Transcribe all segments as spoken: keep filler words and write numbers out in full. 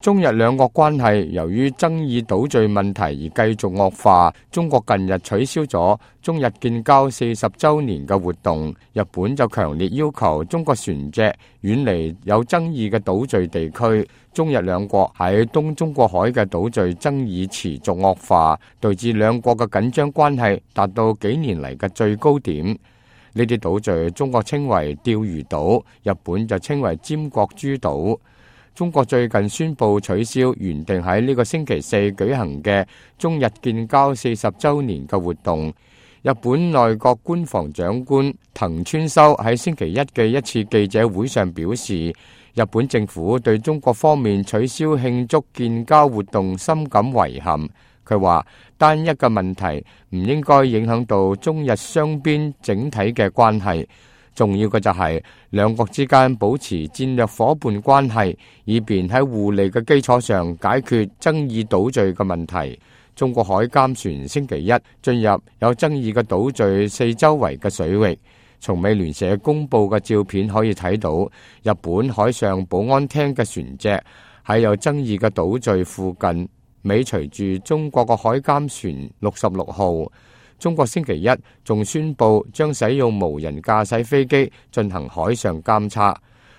中日兩國關係由於爭議島嶼問題而繼續惡化。中國近日取消咗中日建交四十週年嘅活動，日本就強烈要求中國船隻遠離有爭議嘅島嶼地區。中日兩國喺東中國海嘅島嶼爭議持續惡化，導致兩國嘅緊張關係達到幾年嚟嘅最高點。呢啲島嶼中國稱為釣魚島，日本就稱為尖閣諸島。中國最近宣布取消原定喺呢個星期四舉行嘅中日建交四十週年嘅活動。日本內閣官房長官藤村修喺星期一嘅一次記者會上表示，日本政府對中國方面取消慶祝建交活動深感遺憾。佢話單一嘅問題唔應該影響到中日雙邊整體嘅關係。重要嘅就係兩國之間保持戰略夥伴關係，以便喺互利嘅基礎上解決爭議島嶼嘅問題。中國海監船星期一進入有爭議嘅島嶼四周圍嘅水域，從美聯社公佈嘅照片可以睇到，日本海上保安廳嘅船隻喺有爭議嘅島嶼附近尾隨住中國嘅海監船六十六號。中國星期一仲宣布將使用無人駕駛飛機進行海上監測。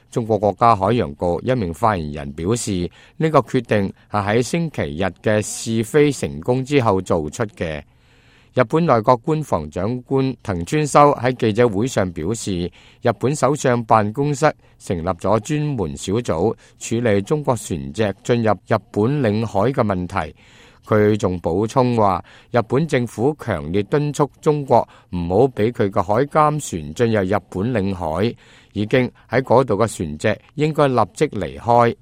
中國國家海洋局一名發言人表示，呢個決定係喺星期日嘅試飛成功之後做出嘅。日本內閣官房長官藤村修喺記者會上表示，日本首相辦公室成立咗專門小組處理中國船隻進入日本領海嘅問題。佢仲補充話，日本政府強烈敦促中國唔好俾佢嘅海監船進入日本領海，已經喺嗰度嘅船隻應該立即離開。